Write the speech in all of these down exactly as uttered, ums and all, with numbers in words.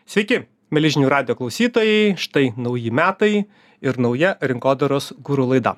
Sveiki, mieli žinių radijo klausytojai, štai nauji metai ir nauja rinkodaros guru laida.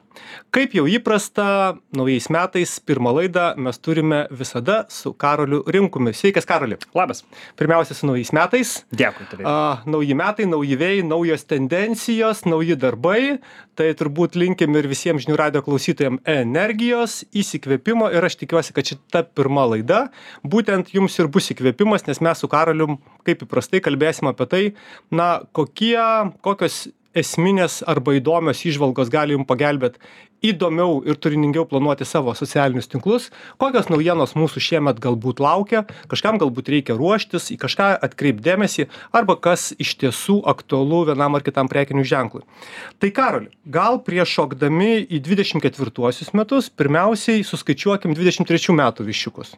Kaip jau įprasta, naujais metais pirmą laidą mes turime visada su Karoliu Rimkumi. Sveikas, Karoli. Labas. Pirmiausia, su naujais metais. Dėkui tavai. A, nauji metai, nauji vėjai, naujos tendencijos, nauji darbai. Tai turbūt linkim ir visiems žinių radijo klausytojams energijos, įsikvėpimo ir aš tikiuosi, kad šita pirma laida būtent jums ir bus įkvėpimas, nes mes su Karoliu, kaip įprastai, kalbėsim apie tai, na, kokie, kokios esminės arba įdomios įžvalgos gali jums pagelbėti įdomiau ir turiningiau planuoti savo socialinius tinklus, kokios naujienos mūsų šiemet galbūt laukia, kažkam galbūt reikia ruoštis, į kažką atkreipdėmėsi, arba kas iš tiesų aktualu vienam ar kitam prekinių ženklui. Tai Karoli, gal prieš šokdami į dvidešimt ketvirtuosius metus, pirmiausiai suskaičiuokim dvidešimt trečių metų viščiukus.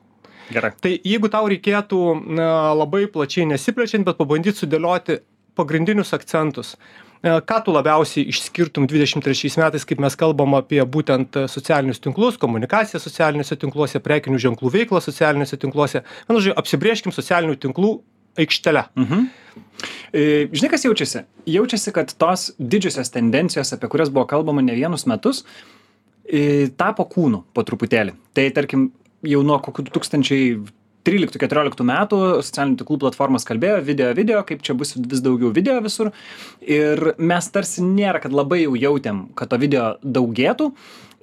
Gerai. Tai jeigu tau reikėtų na, labai plačiai nesiplečiant, bet pabandyti sudėlioti pagrindinius akcentus, ką tu labiausiai išskirtum dvidešimt trečiais metais, kaip mes kalbam apie būtent socialinius tinklus, komunikaciją socialiniuose tinkluose, prekinių ženklų veiklą socialiniuose tinkluose. Vienu žodžiu, apsibrėžkim socialinių tinklų aikštelę. Mhm. E, žinai, kas jaučiasi? Jaučiasi, kad tos didžiosios tendencijos, apie kurias buvo kalbama ne vienus metus, e, tapo kūnu po truputėlį. Tai tarkim, jau nuo kokių du tūkstančiai tryliktų keturioliktų metų socialinių tinklų platformas kalbėjo video, video, kaip čia bus vis daugiau video visur. Ir mes tarsi nėra, kad labai jau jautėm, kad to video daugėtų.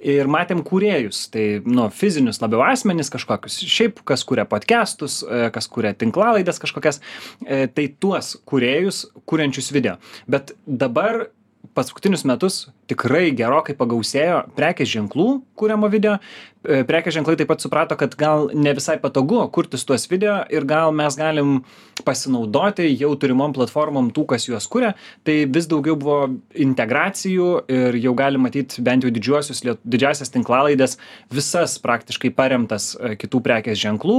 Ir matėm kūrėjus, tai nu, fizinius labiau asmenis kažkokius, šiaip kas kuria podcastus, kas kuria tinklalaides kažkokias, tai tuos kūrėjus, kuriančius video. Bet dabar paskutinius metus tikrai gerokai pagausėjo prekės ženklų kuriamo video. Prekės ženklai taip pat suprato, kad gal ne visai patogu kurtis tuos video ir gal mes galim pasinaudoti jau turimom platformom tų, kas juos kuria. Tai vis daugiau buvo integracijų ir jau galim matyti bent jau didžiuosius, didžiasias tinklalaidės, visas praktiškai paremtas kitų prekės ženklų,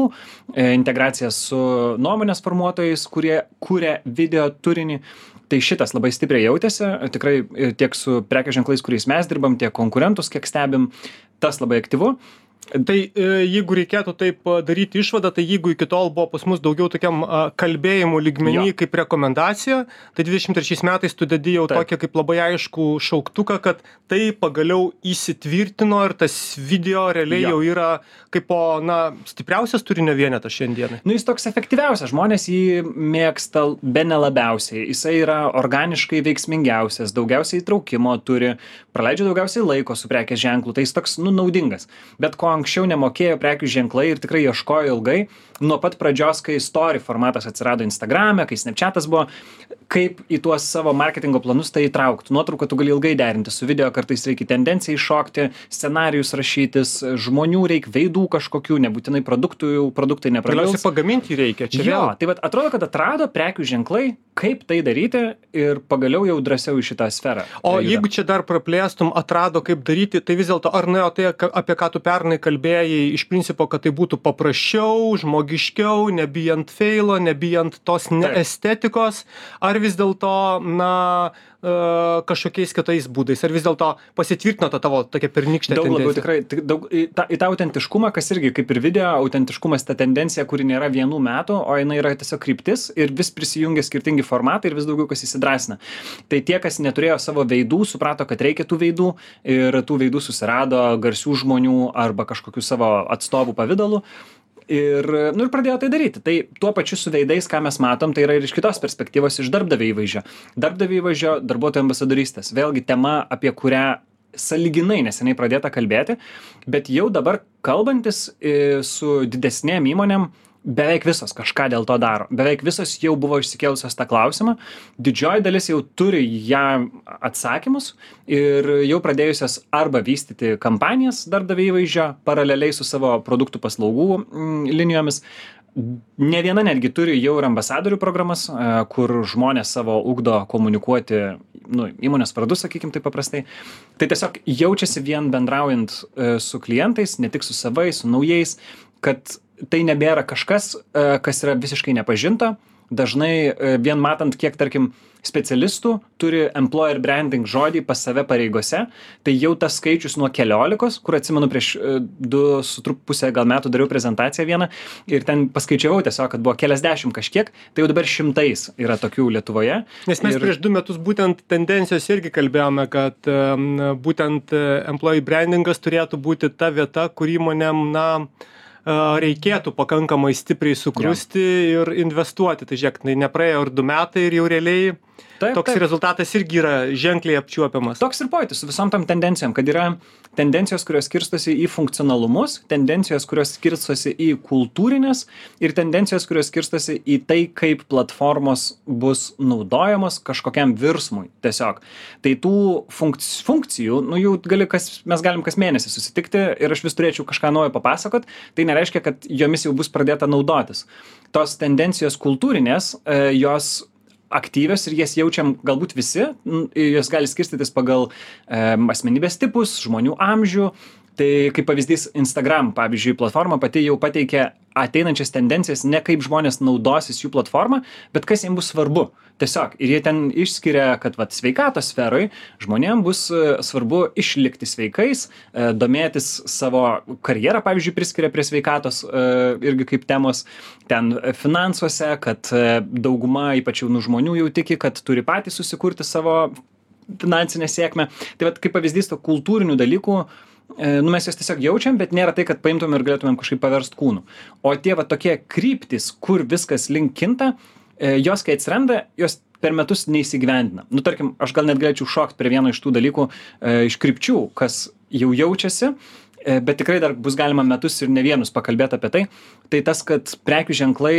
integracijas su nuomonės formuotojais, kurie kuria video turinį. Tai šitas labai stipriai jautėsi, tikrai tiek su prekės ženklais, kuriais mes dirbam, tiek konkurentus, kiek stebim, tas labai aktyvu. Tai jeigu reikėtų taip daryti išvadą, tai jeigu iki tol buvo pas mus daugiau tokiam kalbėjimų lygmenį jo. Kaip rekomendacija, tai dvidešimt trečiais metais tu dedi jau Taip. Tokį kaip labai aišku šauktuką, kad tai pagaliau įsitvirtino ir tas video realiai jo. Jau yra kaip po, na, stipriausias turinio vienetas šiandienai. Nu, jis toks efektyviausias, žmonės jį mėgsta bene labiausiai, jisai yra organiškai veiksmingiausias, daugiausiai įtraukimo turi, praleidžia daugiausiai laiko su prekės ženklu, tai jis toks, nu, naudingas. Bet ko anksčiau nemokėjo prekių ženklai ir tikrai ieškojo ilgai, nuo pat pradžios, kai story formatas atsirado Instagrame, kai Snapchatas buvo, kaip į tuos savo marketingo planus tai įtraukti. Nuotrauką tu gali ilgai derinti su video, kartais reikia tendencijai iššokti, scenarijus rašytis, žmonių reikia, veidų kažkokių, nebūtinai produktų, produktai neprabils. Galiausiai pagaminti reikia, čia jo, vėl. Tai vat, atrodo, kad atrado prekių ženklai, kaip tai daryti ir pagaliau jau drąsiau į šitą sferą. O jeigu čia dar praplėstum, atrado kaip daryti, tai vis dėlto ar nuėjo tai, apie ką tu pernai kalbėjai, iš principo, kad tai būtų paprasčiau, žmogiškiau, nebijant feilo, nebijant tos neestetikos, ar vis dėlto, na, kažkokiais kitais būdais, ar vis dėlto pasitvirtino ta tavo tokia pernykštė daug tendencija? Labiau tikrai, daug, į, tą, į tą autentiškumą, kas irgi kaip ir video, autentiškumas ta tendencija, kuri nėra vienų metų, o jinai yra tiesiog kryptis ir vis prisijungia skirtingi formatai ir vis daugiau kas įsidrasina. Tai tie, kas neturėjo savo veidų, suprato, kad reikia tų veidų ir tų veidų susirado garsių žmonių arba kažkokių savo atstovų pavydalų. Ir, nu, ir pradėjo tai daryti. Tai tuo pačiu su veidais, ką mes matom, tai yra ir iš kitos perspektyvos, iš darbdavio įvaizdžio. Darbdavio įvaizdžio, darbuotojų ambasadorystės. Vėlgi tema, apie kurią sąlyginai neseniai pradėta kalbėti, bet jau dabar kalbantis su didesnėm įmonėm, beveik visos kažką dėl to daro. Beveik visos jau buvo išsikėlusios tą klausimą. Didžioji dalis jau turi ją atsakymus ir jau pradėjusios arba vystyti kampanijas darbdavio įvaizdžio paraleliai su savo produktų paslaugų mm, linijomis. Ne viena netgi turi jau ir ambasadorių programas, kur žmonės savo ugdo komunikuoti, nu, įmonės vardu, sakykim taip paprastai. Tai tiesiog jaučiasi vien bendraujant su klientais, ne tik su savais, su naujais, kad tai nebėra kažkas, kas yra visiškai nepažinta, dažnai e, vien matant, kiek, tarkim, specialistų turi employer branding žodį pas save pareigose, tai jau tas skaičius nuo keliolikos, kur atsimenu prieš e, du su trup pusę gal metų dariau prezentaciją vieną ir ten paskaičiavau tiesiog, kad buvo keliasdešimt kažkiek, tai jau dabar šimtais yra tokių Lietuvoje. Nes mes ir... prieš du metus būtent tendencijos irgi kalbėjome, kad um, būtent employee brandingas turėtų būti ta vieta, kur įmonėm, na, reikėtų pakankamai stipriai sukrusti ja. ir investuoti. Tai žiūrėk, tai nepraėjo ir du metai ir jau realiai taip, toks taip. rezultatas irgi yra ženkliai apčiuopiamas. Toks ir pojūtis su visom tam tendencijom, kad yra tendencijos, kurios skirstosi į funkcionalumus, tendencijos, kurios skirstosi į kultūrinės ir tendencijos, kurios skirstosi į tai, kaip platformos bus naudojamos kažkokiam virsmui tiesiog. Tai tų funkci funkcijų, nu jų gali kas, mes galim kas mėnesį susitikti ir aš vis turėčiau kažką naujo papasakot, tai nereiškia, kad jomis jau bus pradėta naudotis. Tos tendencijos kultūrinės, jos aktyvios ir jas jaučiam galbūt visi, jos gali skirstytis pagal e, asmenybės tipus, žmonių amžių. Tai kaip pavyzdys Instagram, pavyzdžiui, platforma pati jau pateikia ateinančias tendencijas, ne kaip žmonės naudosis jų platformą, bet kas jiems bus svarbu. Tiesiog. Ir jie ten išskiria, kad vat, sveikatos sferoj žmonėms bus svarbu išlikti sveikais, e, domėtis savo karjerą, pavyzdžiui, priskiria prie sveikatos e, irgi kaip temos, ten finansuose, kad e, dauguma ypač jaunų žmonių jau tiki, kad turi patys susikurti savo finansinę sėkmę. Tai vat, kaip pavyzdys to kultūrinių dalykų, nu mes jos tiesiog jaučiam, bet nėra tai, kad paimtum ir galėtumėm kažkaip paverst kūnų. O tie va tokie kryptis, kur viskas link kinta, jos kai atsiranda, jos per metus neįsigyvendina. Nu, tarkim, aš gal net galėčiau šokt prie vieno iš tų dalykų e, iš krypčių, kas jau jaučiasi, e, bet tikrai dar bus galima metus ir ne vienus pakalbėti apie tai. Tai tas, kad prekių ženklai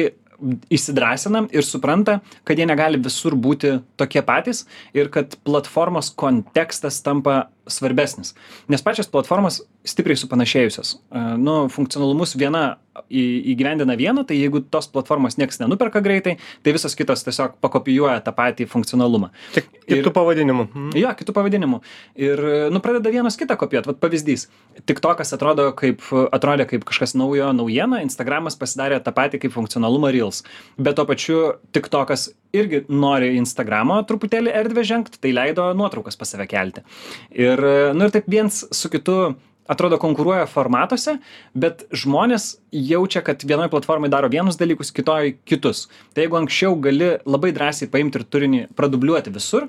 įsidrąsina ir supranta, kad jie negali visur būti tokie patys ir kad platformos kontekstas tampa svarbesnis. Nes pačios platformos stipriai supanašėjusios. Nu, funkcionalumus viena įgyvendina vieną, tai jeigu tos platformos nieks nenuperka greitai, tai visos kitos tiesiog pakopijuoja tą patį funkcionalumą. Tik kitų pavadinimų. Mm. Jo, kitų pavadinimų. Ir, nu, pradeda vienas kitą kopijuoti. Vat pavyzdys. TikTokas atrodo kaip, atrodė kaip kažkas naujo naujiena, Instagramas pasidarė tą patį kaip funkcionalumą Reels. Bet tuo pačiu TikTokas irgi nori Instagramo truputėlį erdvę žengt, tai leido nuotraukas pas save kelti. Ir, nu, ir taip viens su kitu atrodo konkuruoja formatuose, bet žmonės jaučia, kad vienoje platformai daro vienus dalykus, kitoj kitus. Tai jeigu anksčiau gali labai drąsiai paimti ir turinį pradubliuoti visur,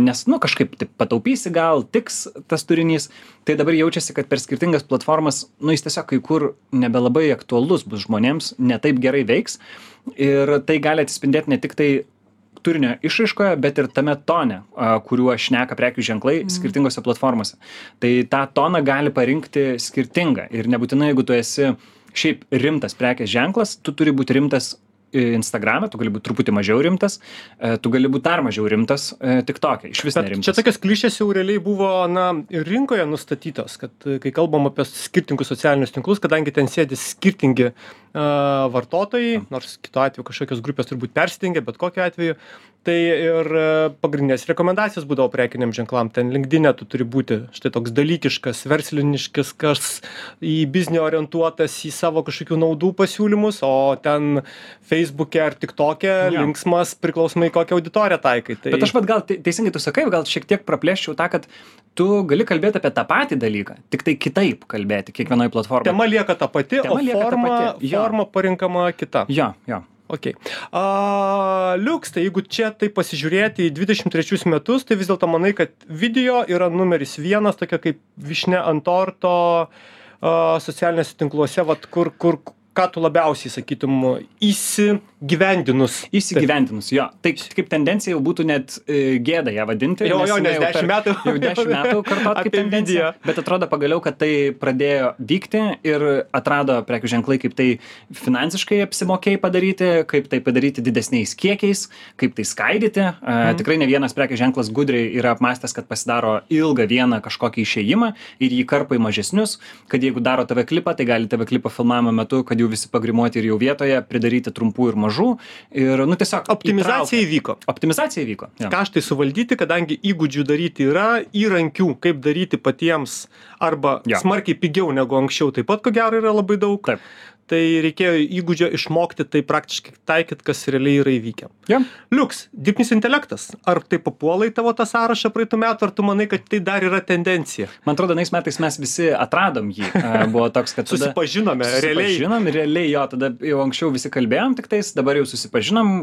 nes, nu, kažkaip taip pataupysi gal, tiks tas turinys, tai dabar jaučiasi, kad per skirtingas platformas, nu, jis tiesiog kai kur nebelabai aktualus bus žmonėms, ne taip gerai veiks ir tai gali atsispindėti ne tik tai turinio išraiškoje, bet ir tame tone, kuriuo šneka prekių ženklai mm. skirtingose platformose. Tai tą toną gali parinkti skirtingą ir nebūtinai, jeigu tu esi šiaip rimtas prekės ženklas, tu turi būti rimtas Instagram'e, tu gali būti truputį mažiau rimtas, tu gali būti dar mažiau rimtas TikTok'e, iš vis nerimtas. Čia tokios klišės jau realiai buvo, na, rinkoje nustatytos, kad kai kalbam apie skirtingus socialinius tinklus, kadangi ten sėdi skirtingi uh, vartotojai, nors kitu atveju kažkokios grupės turbūt persidengia, bet kokiu atveju, tai ir pagrindinės rekomendacijos būdavo prekiniam ženklam. Ten LinkedIn'e tu turi būti štai toks dalykiškas, versliniškas, kas į biznį orientuotas, į savo kažkokių naudų pasiūlymus, o ten Facebook'e ar TikTok'e ja. linksmas priklausomai kokią auditoriją taikai. Tai... Bet aš vat gal teisingai tu sakai, gal šiek tiek praplėščiau tą, kad tu gali kalbėti apie tą patį dalyką, tik tai kitaip kalbėti kiekvienoje platformoje. Tema lieka ta pati, Tema o forma, pati. forma parinkama kita. Jo, jo. Okay. Uh, Liuks, tai jeigu čia tai pasižiūrėti į dvidešimt trečius metus, tai vis dėlto manai, kad video yra numeris vienas, tokia kaip višne ant torto uh, socialinėse tinkluose, vat, kur, kur, ką tu labiausiai sakytum įsigyvendinus? Įsigyvendinus, jo. Tai kaip tendencija jau būtų net e, gėda ją vadinti. Jo, jo, nes dešimt metų. Jau dešimt metų kartot kaip tendencija. Bet atrodo pagaliau, kad tai pradėjo vykti ir atrado prekių ženklai, kaip tai finansiškai apsimokėjai padaryti, kaip tai padaryti didesniais kiekiais, kaip tai skaidyti. Mm. Tikrai ne vienas prekių ženklas gudriai yra apmastęs, kad pasidaro ilgą vieną kažkokį išėjimą ir jį karpa į mažesnius, kad jeigu daro T V klipą, tai gali T V klipą filmavimo metu, kad jau visi pagrimuoti ir jau vietoje, pridaryti trumpų ir mažų. Ir, nu, tiesiog optimizacija įtraukia. įvyko. Optimizacija įvyko. Ja. Kaštai suvaldyti, kadangi įgūdžių daryti yra, įrankių, kaip daryti patiems arba ja. smarkiai pigiau negu anksčiau, taip pat ko gero yra labai daug. Taip. tai reikėjo įgūdžio išmokti tai praktiškai taikyt, kas realiai yra įvykę. Ja. Liuks, dirbtinis intelektas. Ar tai papuola į tavo tą sąrašą praeitų metų, ar tu manai, kad tai dar yra tendencija? Man atrodo, nais metais mes visi atradom jį. Buvo toks, kad tada... Susipažinome, realiai. Susipažinom, realiai jo, tada jau anksčiau visi kalbėjom tik tais, dabar jau susipažinom,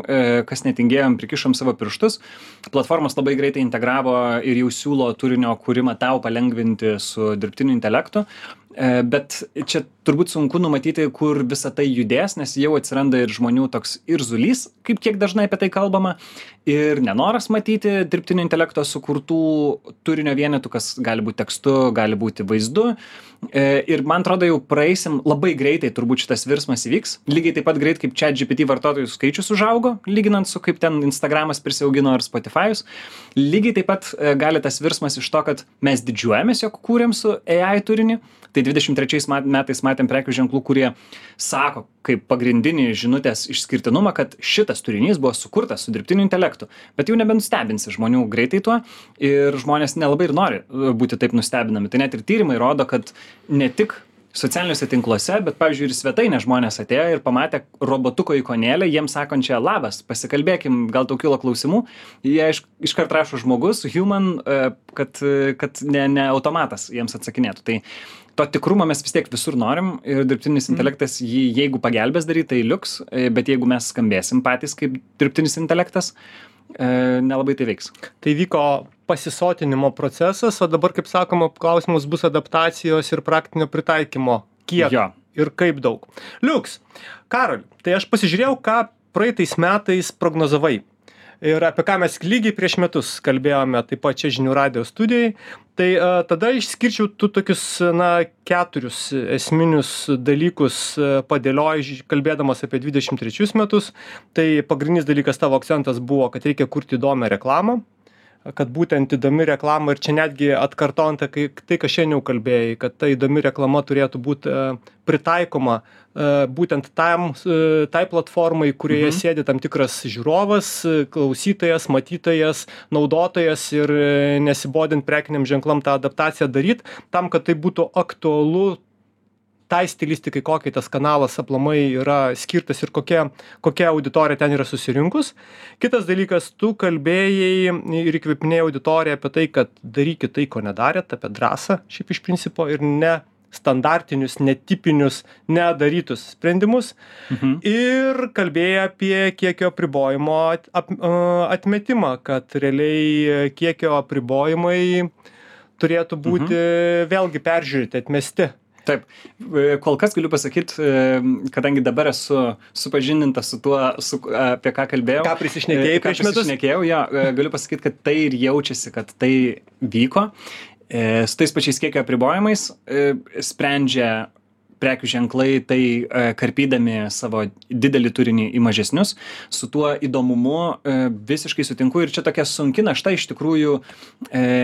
kas netingėjom, prikišom savo pirštus. Platformos labai greitai integravo ir jau siūlo turinio kūrimą tau palengvinti su dirbtiniu intelektu. Bet čia turbūt sunku numatyti, kur visa tai judės, nes jau atsiranda ir žmonių toks irzulys, kaip kiek dažnai apie tai kalbama, ir nenoras matyti dirbtinio intelekto sukurtų turinio vienetų, kas gali būti tekstu, gali būti vaizdu. Ir man atrodo, jau praeisim labai greitai, turbūt šitas virsmas įvyks. Lygiai taip pat greit, kaip ChatGPT vartotojų skaičius užaugo, lyginant su kaip ten Instagramas prisiaugino ar Spotify'us. Lygiai taip pat gali tas virsmas iš to, kad mes didžiuojamės, jog kūrėm su A I turinį. Tai dvidešimt trečiais metais matėm prekių ženklų, kurie sako kaip pagrindinį žinutės išskirtinumą, kad šitas turinys buvo sukurtas su dirbtiniu intelektu. Bet jau nebenustebinsi žmonių greitai tuo ir žmonės nelabai ir nori būti taip nustebinami. Tai net ir tyrimai rodo, kad ne tik socialiniuose tinkluose, bet, pavyzdžiui, ir svetainė žmonės atėjo ir pamatė robotuko ikonėlę, jiems sakančią labas, pasikalbėkim, gal tau kilo klausimų. Jie iš, iškart rašo žmogus, human, kad, kad ne, ne automatas jiems atsakinėtų. Tai to tikrumo mes vis tiek visur norim ir dirbtinis intelektas jį, jeigu pagelbės daryti, tai liuks, bet jeigu mes skambėsim patys kaip dirbtinis intelektas, nelabai tai veiks. Tai vyko pasisotinimo procesas, o dabar, kaip sakoma, klausimus bus adaptacijos ir praktinio pritaikymo. Kiek jo. Ir kaip daug. Liuks, Karoli, tai aš pasižiūrėjau, ką praeitais metais prognozavai. Ir apie ką mes lygiai prieš metus kalbėjome taip pat čia žinių radijo studijai. Tai a, tada išskirčiau tu tokius, na, keturius esminius dalykus padėlioji, kalbėdamas apie dvidešimt trečius metus. Tai pagrindinis dalykas tavo akcentas buvo, kad reikia kurti įdomią reklamą, kad būtent įdomi reklama ir čia netgi atkartojant tai, tai ką šiandien jau kalbėjai, kad ta įdomi reklama turėtų būti pritaikoma būtent tam, tai platformai, kurioje mhm. sėdi tam tikras žiūrovas, klausytojas, matytojas, naudotojas ir nesibodint prekiniam ženklam tą adaptaciją daryti, tam, kad tai būtų aktualu tai stilistikai, kokiai tas kanalas aplamai yra skirtas ir kokia, kokia auditorija ten yra susirinkus. Kitas dalykas, tu kalbėjai ir įkvėpinėjai auditoriją apie tai, kad darykit tai, ko nedarėt, apie drąsą šiaip iš principo ir ne standartinius, netipinius, nedarytus sprendimus. Mhm. Ir kalbėjai apie kiekio apribojimo at, atmetimą, kad realiai kiekio apribojimai turėtų būti mhm. vėlgi peržiūrėti, atmesti. Taip, kol kas galiu pasakyti, kadangi dabar esu supažindintas su tuo, su, apie ką kalbėjau. Ką prisišnekėjai prieš metus? Prisišnekėjau, ja, galiu pasakyti, kad tai ir jaučiasi, kad tai vyko. Su tais pačiais kiekio apribojimais sprendžia prekių ženklai, tai karpydami savo didelį turinį į mažesnius. Su tuo įdomumu visiškai sutinku ir čia tokia sunki našta iš tikrųjų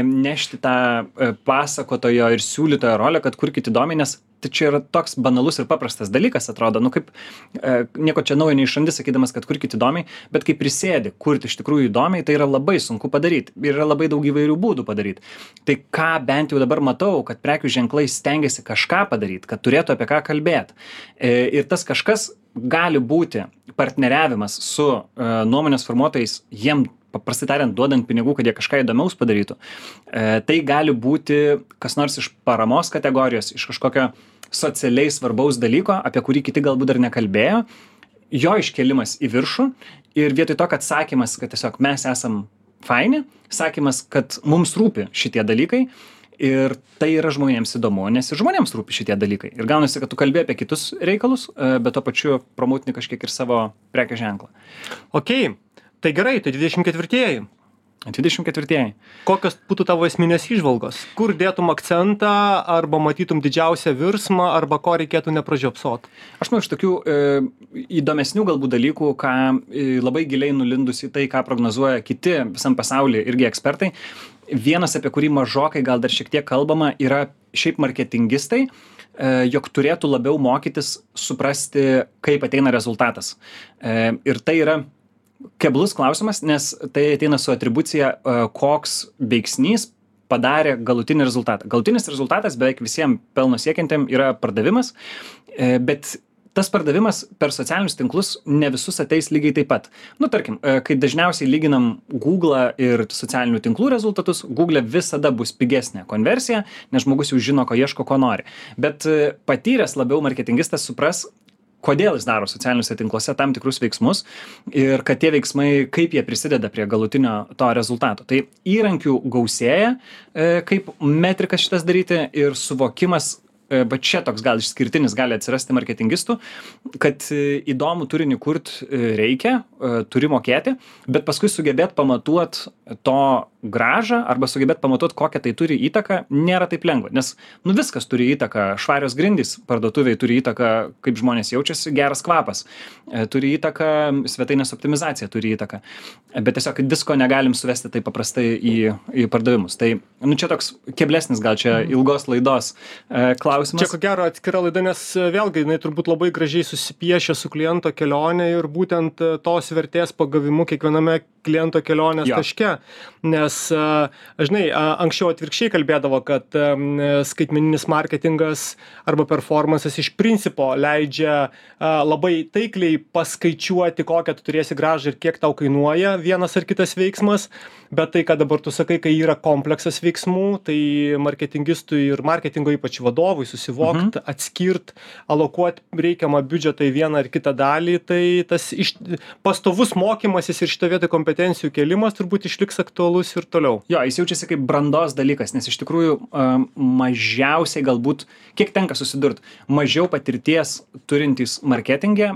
nešti tą pasakotojo ir siūlytojo rolę, kad kurkit įdomiai, nes tai čia yra toks banalus ir paprastas dalykas, atrodo, nu kaip e, nieko čia naujo neišrandi, sakydamas, kad kurkit įdomiai, bet kai prisėdi kurti iš tikrųjų įdomiai, tai yra labai sunku padaryti ir yra labai daug įvairių būdų padaryti. Tai ką bent jau dabar matau, kad prekių ženklai stengiasi kažką padaryti, kad turėtų apie ką kalbėti. E, ir tas kažkas gali būti partneriavimas su e, nuomonės formuotojais, jiem paprastai tariant, duodant pinigų, kad jie kažką įdomiaus padarytų. E, tai gali būti kas nors iš paramos kategorijos, iš kažkokio socialiai svarbaus dalyko, apie kurį kiti galbūt dar nekalbėjo, jo iškelimas į viršų ir vietoj to, kad sakymas, kad tiesiog mes esam faini, sakymas, kad mums rūpi šitie dalykai ir tai yra žmonėms įdomu, nes ir žmonėms rūpi šitie dalykai. Ir gaunasi, kad tu kalbė apie kitus reikalus, bet tuo pačiu promotini kažkiek ir savo prekės ženklą. Okei. Tai gerai, tai dvidešimt ketvirtieji. dvidešimt ketvirtieji. Kokios būtų tavo esminės įžvalgos? Kur dėtum akcentą, arba matytum didžiausią virsmą, arba ko reikėtų nepražiopsot? Aš manau, iš tokių e, įdomesnių galbūt dalykų, ką e, labai giliai nulindus į tai, ką prognozuoja kiti visam pasaulyje irgi ekspertai. Vienas, apie kurį mažokai gal dar šiek tiek kalbama, yra šiaip marketingistai, e, jog turėtų labiau mokytis suprasti, kaip ateina rezultatas. E, ir tai yra keblus klausimas, nes tai ateina su atribucija, koks veiksnys padarė galutinį rezultatą. Galutinis rezultatas beveik visiems pelno siekiantiem yra pardavimas, bet tas pardavimas per socialinius tinklus ne visus ateis lygiai taip pat. Nu, tarkim, kai dažniausiai lyginam Google ir socialinių tinklų rezultatus, Google visada bus pigesnė konversija, nes žmogus jau žino, ko ieško, ko nori. Bet patyręs labiau marketingistas supras, kodėl jis daro socialiniuose tinkluose tam tikrus veiksmus ir kad tie veiksmai, kaip jie prisideda prie galutinio to rezultato. Tai įrankių gausėja, kaip metrikas šitas daryti ir suvokimas, bet čia toks gal išskirtinis gali atsirasti marketingistų, kad įdomų turinį kurt reikia, turi mokėti, bet paskui sugebėt pamatuot to gražą arba sugebėt pamatuot, kokią tai turi įtaką, nėra taip lengva. Nes nu viskas turi įtaką, švarios grindys parduotuviai turi įtaką, kaip žmonės jaučiasi, geras kvapas, turi įtaką, svetainės optimizacija turi įtaką. Bet tiesiog visko negalim suvesti taip paprastai į, į pardavimus. Tai nu čia toks keblesnis gal čia ilgos laidos klausimas. Čia ko gero atskira laida, nes vėlgi jinai turbūt labai gražiai susipiešia su kliento kelionė ir būtent tos vertės pagavimu kiekviename kliento kelionės Jo. taške. Nes, žinai, anksčiau atvirkščiai kalbėdavo, kad skaitmeninis marketingas arba performances iš principo leidžia labai taikliai paskaičiuoti, kokią tu turėsi grąžą ir kiek tau kainuoja vienas ar kitas veiksmas, bet tai, ką dabar tu sakai, kai yra kompleksas veiksmų, tai marketingistui ir marketingo ypač vadovui susivokt, mhm. atskirt, alokuot reikiamą biudžetą į vieną ar kitą dalį, tai tas iš, pastovus mokymasis ir šitą vietą kompetencijų kėlimas turbūt išliks aktualus ir toliau. Jo, jis jaučiasi kaip brandos dalykas, nes iš tikrųjų mažiausiai galbūt, kiek tenka susidurt, mažiau patirties turintys marketingė,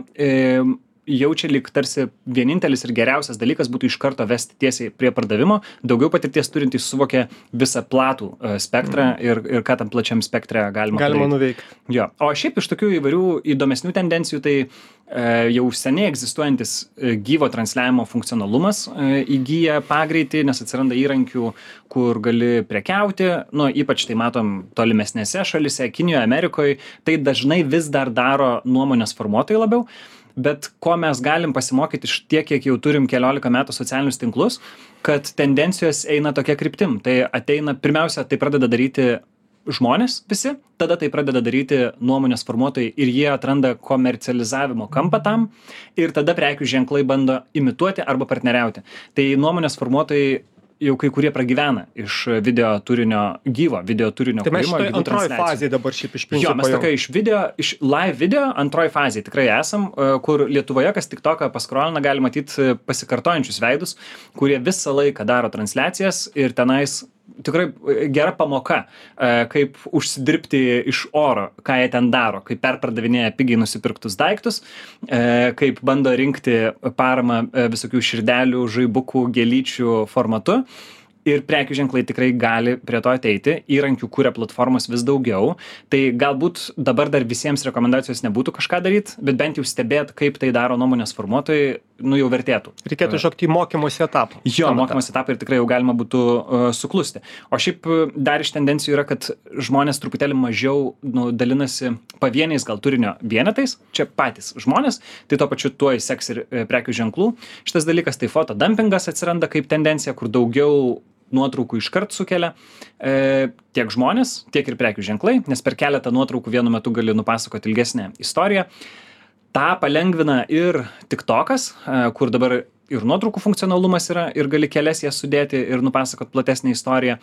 jaučia lyg tarsi vienintelis ir geriausias dalykas būtų iš karto vesti tiesiai prie pardavimo, daugiau patirties turintys suvokia visą platų spektrą mm. ir, ir ką tam plačiam spektre galima, galima nuveikti. Jo. O šiaip iš tokių įvairių įdomesnių tendencijų, tai e, jau seniai egzistuojantis e, gyvo transliavimo funkcionalumas e, įgyja pagreitį, nes atsiranda įrankių, kur gali prekiauti, nu, ypač tai matom tolimesnėse šalise, Kinijoje, Amerikoje, tai dažnai vis dar daro nuomonės formuotojai labiau. Bet ko mes galim pasimokyti iš tiek, kiek jau turim keliolika metų socialinius tinklus, kad tendencijos eina tokia kryptim. Tai ateina, pirmiausia, tai pradeda daryti žmonės visi, tada tai pradeda daryti nuomonės formuotojai ir jie atranda komercializavimo kampą tam ir tada prekių ženklai bando imituoti arba partneriauti. Tai nuomonės formuotojai jau kai kurie pragyvena iš video turinio, gyvo video turinio. Tai mes šitoj antroji fazėje dabar šiaip iš principo. Jo, mes tokia iš video, iš live video antroji fazėje tikrai esam, kur Lietuvoje, kas TikToką paskrolina, gali matyti pasikartojančius veidus, kurie visą laiką daro transliacijas ir tenais tikrai gera pamoka, kaip užsidirbti iš oro, ką jie ten daro, kaip perpardavinėja pigiai nusipirktus daiktus, kaip bando rinkti paramą visokių širdelių, žaibukų, gėlyčių formatu. Ir prekių ženklai tikrai gali prie to ateiti, įrankių kuria platformos vis daugiau, tai galbūt dabar dar visiems rekomendacijos nebūtų kažką daryti, bet bent jau stebėt, kaip tai daro nuomonės formuotojai, nu jau vertėtų. Reikėtų iššokti į mokymosi etapą. Jo, mokymosi etapą ir tikrai jau galima būtų uh, suklusti. O šiaip dar iš tendencijų yra, kad žmonės truputėlį mažiau nu, dalinasi pavieniais gal turinio vienetais, čia patys žmonės, tai tuo pačiu tuo įseks ir e, prekių ženklų. Šitas dalykas tai fotodumpingas atsiranda kaip tendencija, kur daugiau nuotraukų iškart sukelia e, tiek žmonės, tiek ir prekių ženklai, nes per keletą nuotraukų vienu metu gali nupasakoti ilgesnę istoriją. Ta palengvina ir TikTokas, e, kur dabar ir nuotraukų funkcionalumas yra, ir gali kelias jas sudėti ir nupasakot platesnę istoriją.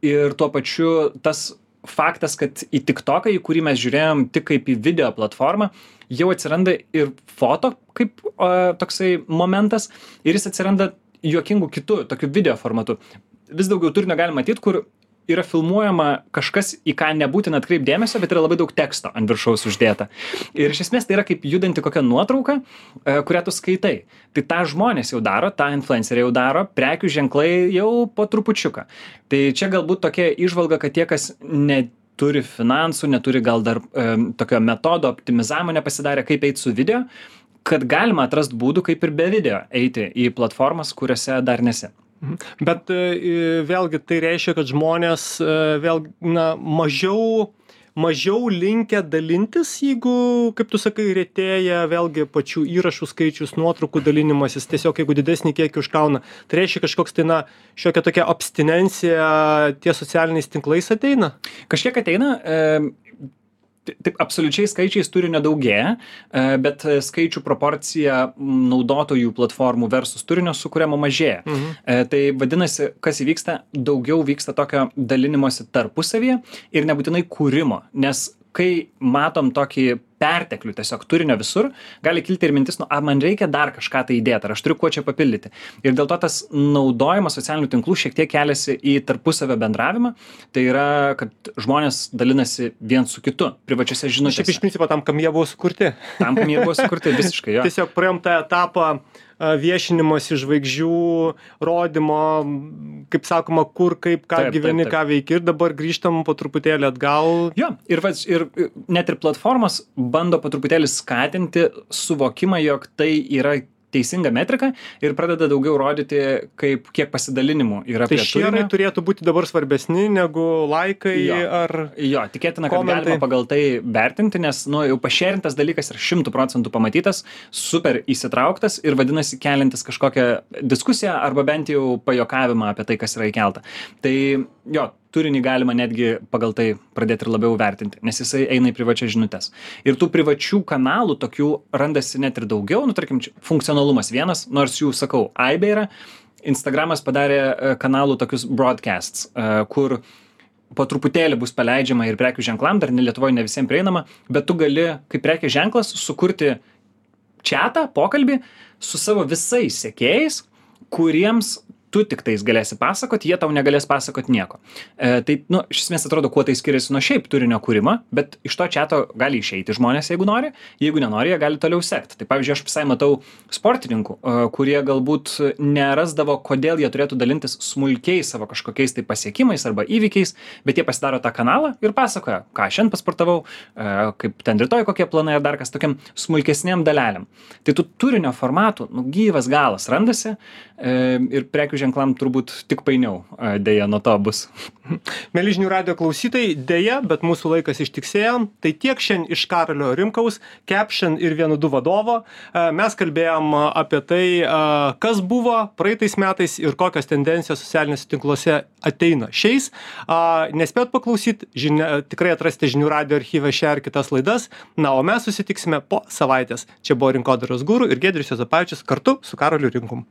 Ir tuo pačiu tas faktas, kad į TikToką, į kurį mes žiūrėjom tik kaip į video platformą, jau atsiranda ir foto kaip o, toksai momentas, ir jis atsiranda juokingų kitų, tokių video formatu. Vis daugiau turinio galima matyti, kur yra filmuojama kažkas, į ką nebūtina atkreipti dėmesio, bet yra labai daug teksto ant viršaus uždėta. Ir iš esmės tai yra kaip judanti kokia nuotrauka, kurią tu skaitai. Tai tą žmonės jau daro, tą influenceriai jau daro, prekių ženklai jau po trupučiuką. Tai čia galbūt tokia įžvalga, kad tie, kas neturi finansų, neturi gal dar e, tokio metodo optimizavimo nepasidarė, kaip eiti su video, kad galima atrasti būdų, kaip ir be video eiti į platformas, kuriuose dar nesi. Bet vėlgi tai reiškia, kad žmonės vėl na, mažiau, mažiau linkę dalintis, jeigu, kaip tu sakai, retėja vėlgi pačių įrašų skaičius, nuotraukų dalinimasis, tiesiog jeigu didesnį kiekį užkauna. Tai reiškia kažkoks tai, na, šiokia tokia abstinencija ties socialiniais tinklais ateina? Kažkiek ateina. E... taip absoliučiai skaičiais turinio daugėja, bet skaičių proporcija naudotojų platformų versus turinio sukuriamo mažėja. Mhm. Tai vadinasi, kas įvyksta, daugiau vyksta tokio dalinimosi tarpusavyje ir nebūtinai kūrimo, nes kai matom tokį perteklių tiesiog turinio visur, gali kilti ir mintis, nu, ar man reikia dar kažką tai įdėti, ar aš turiu kuo čia papildyti. Ir dėl to tas naudojimas socialinių tinklų šiek tiek keliasi į tarpusavio bendravimą, tai yra, kad žmonės dalinasi vien su kitu, privačiose žinutėse. Šiaip iš principo tam, kam jie buvo sukurti. Tam, kam jie buvo sukurti, visiškai, jo. Tiesiog praėjom tą etapą viešinimosi žvaigždžių, rodymo, kaip sakoma, kur, kaip, ką taip, gyveni, taip, taip. Ką veiki ir dabar grįžtam po truputėlį atgal. Jo, ir, ir net ir platformos bando po truputėlį skatinti suvokimą, jog tai yra teisinga metrika ir pradeda daugiau rodyti, kaip, kiek pasidalinimų yra tai prie turinio. Tai šie turėtų būti dabar svarbesni negu laikai jo. ar Jo, tikėtina, kad komentai. Galima pagal tai vertinti, nes nu, jau pašėrintas dalykas yra šimtų procentų pamatytas, super įsitrauktas ir vadinasi keliantis kažkokią diskusiją arba bent jau pajokavimą apie tai, kas yra įkelta. Tai jo, turinį galima netgi pagal tai pradėti ir labiau vertinti, nes jisai eina į privačias žinutes. Ir tų privačių kanalų tokių randasi net ir daugiau, nu tarkim, funkcionalumas vienas, nors jų, sakau, aibė yra. Instagramas padarė kanalų tokius broadcasts, kur po truputėlį bus paleidžiama ir prekių ženklam, dar ne Lietuvoje ne visiems prieinama, bet tu gali, kaip prekės ženklas, sukurti chatą, pokalbį su savo visais sekėjais, kuriems tu tik tais galėsi pasakoti, jie tau negalės pasakoti nieko. E, tai, nu, iš esmės atrodo, kuo tai skiriasi nuo šiaip turinio kūrimo, bet iš to chato gali išeiti žmonės, jeigu nori, jeigu nenori, jie gali toliau sekti. Tai pavyzdžiui, aš visai matau sportininkų, kurie galbūt nerasdavo, kodėl jie turėtų dalintis smulkiais savo kažkokiais tai pasiekimais arba įvykiais, bet jie pasidaro tą kanalą ir pasakoja, ką šiandien pasportavau, kaip ten rytoj kokie planai ar dar kas tokiam smulkesniem dalelėm. Tai tų turinio formatų, nu, gyvas galas randasi ir prekių ženklam turbūt tik painiau, dėja, nuo to bus. Mieli žinių radijo klausytojai, dėja, bet mūsų laikas ištiksėjo. Tai tiek šiandien iš Karolio Rimkaus, Caption ir vienu du vadovo. Mes kalbėjom apie tai, kas buvo praeitais metais ir kokios tendencijos socialiniuose tinkluose ateina šiais. Nespėjot paklausyti, žinia, tikrai atrasite žinių radijo archyvą šią ir kitas laidas. Na, o mes susitiksime po savaitės. Čia buvo Rinkodaros guru ir Giedrius Juozapavičius kartu su Karoliu Rimkum.